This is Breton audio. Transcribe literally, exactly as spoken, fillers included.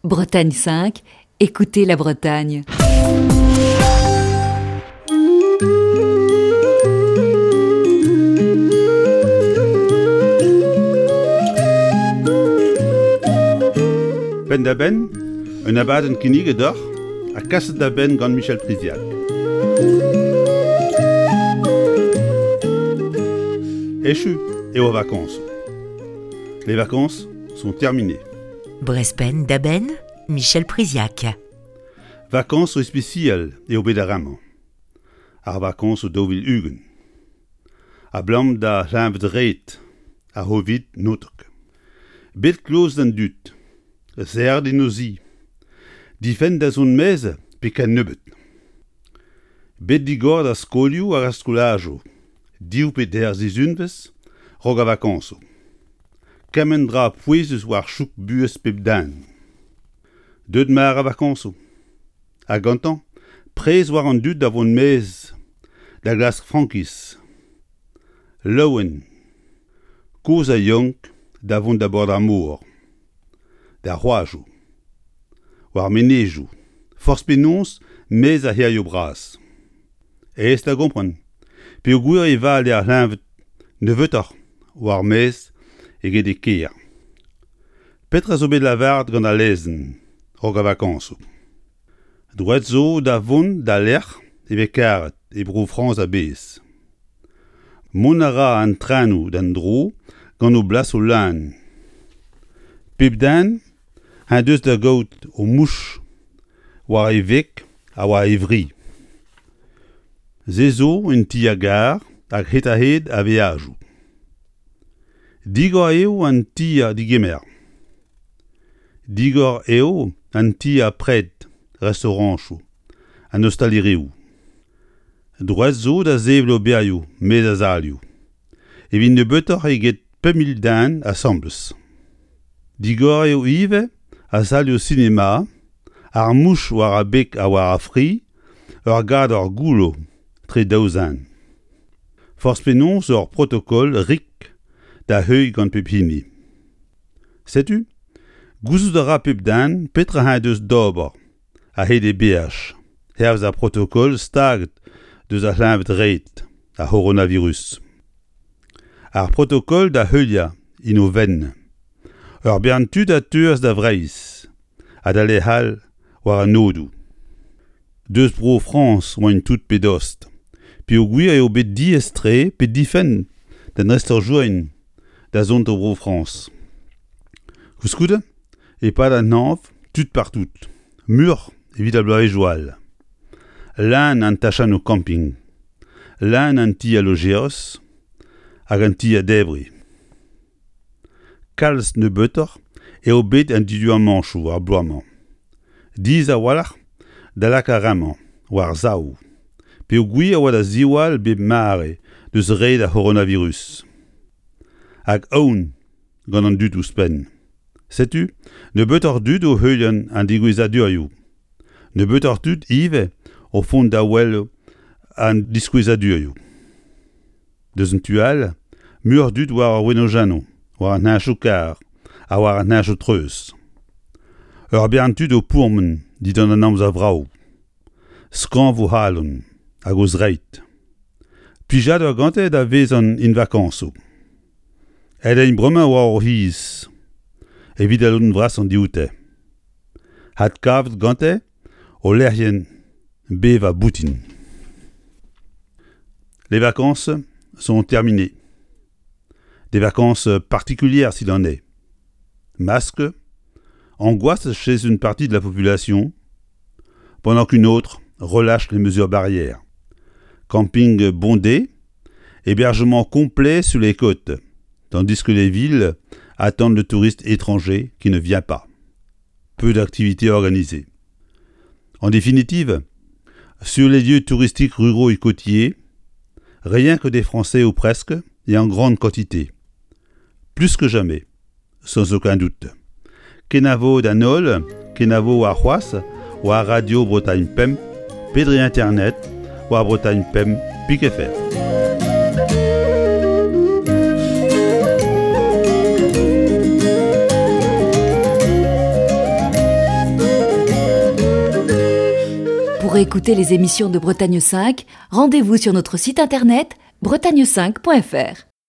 Bretagne cinq, écoutez la Bretagne. Penn-da-benn, un abadenn kinniget deoc'h ha kaset da benn gant Michel Priziac. Echu eo ar vakañsoù. Les vacances sont terminées. Brezh Penn-da-Benn, Michel Priziac. Vakañsoù ispisial eo bet ar re-mañ. Ar vakañsoù daou vil ugent. Abalamour da c'hleñved-red ar C'hovid naontek. Bet kloz d'an dud, serret en o zi, difenn da zont maez pe ken nebeut. Bet digor d'ar skolioù hag ar skolajoù, div pe deir sizhunvezh 'raok ar vakañsoù. Kement dra pouezus war chouk buhez pep den. Deuet mare ar vakañsoù. Ha gantañ, prez war an dud da vont maez da glask frankiz. Laouen, kozh ha yaouank da vont da bord ar mor, d'ar c'hoajoù, war ar menezioù, forzh penaos maez ar c'hêrioù bras. Aes da gompren, peogwir e vale ar c'hleñved nebeutoc'h war ar maez eget e kêr. Petra zo bet lavaret gant al lezenn 'raok ar vakañsoù ? Droed zo da vont d'al lec'h e vez karet e Bro-Frañs a-bezh. Mont a ra an trenoù d'an dro gant o blasoù leun. Pep den en deus da gaout o mouch war e veg ha war e fri. Se zo en ti-gar hag hed-ha-hed ar veajoù. Digor eo an tier-degemer. Digor eo an tier-pred, restaorantoù, an ostalerioù. Droed zo da sevel oberioù maez ar salioù, evit nebeutoc'h eget pemp mil den asambles. Digor eo ivez ar salioù sinema, ar mouch war ar beg ha war ar fri, ur gador goullo tre daou zen. Forzh penaos ur protokol rik da heuilh gant pep hini. Setu, gouzout a ra pep den petra eñ deus d'ober a-hed e beaj, hervez ar protokol staget deus ar c'hleñved-red, ar c'horonavirus. Ar protokol da heuliañ en o fenn. Ur bern tud a teuas da Vreizh ha da lec'h all war an aodoù. Deus Bro-Frañs oant tout pe dost, peogwir eo bet diaes-tre pe difenn d'an estrañjourien da zont da Bro-Frañs. Koulskoude, e-pad an hañv, tud partout, muioc'h evit ar bloavezhioù all. Leun an tachennoù kamping, leun an tier-lojerez hag an tier-debriñ. Kalz nebeutoc'h eo bet an diduamantoù ar bloaz-mañ. Diaes a-walc'h da lakaat ar re-mañ war-sav, peogwir e oa da ziwall bep mare deus red ar c'horonavirus. Hag aon gant an dud ouzhpenn. Setu nebeutoc'h dud o heuliañ an degouezhadurioù. Nebeutoc'h tud ivez o vont da wel an diskouezadurioù. Deus an tu all, muioc'h dud war ar wenodennoù, war an heñchoù-karr ha war an heñchoù-treuz. Ur bern tud o pourmen dindan an amzer vrav. Skañv o c'halon hag o zreid. Plijadur gante da vezañ en vakañsoù. Aet int bremañ war o c'hiz, evit al lodenn vrasañ dioute. Adkavet gante o lec'hienn bevañ boutin. Les vacances sont terminées. Des vacances particulières s'il en est. Masque, angoisse chez une partie de la population, pendant qu'une autre relâche les mesures barrières. Camping bondé, hébergement complet sur les côtes, tandis que les villes attendent le touriste étranger qui ne vient pas. Peu d'activités organisées. En définitive, sur les lieux touristiques ruraux et côtiers, rien que des Français ou presque, et en grande quantité. Plus que jamais, sans aucun doute. Kenavo d'an holl, kenavo warc'hoazh, war Radio Bretagne Pemp, pe dre internet, war Bretagne Pemp pik F R. Pour écouter les émissions de Bretagne cinq, rendez-vous sur notre site internet bretagne cinq point F R.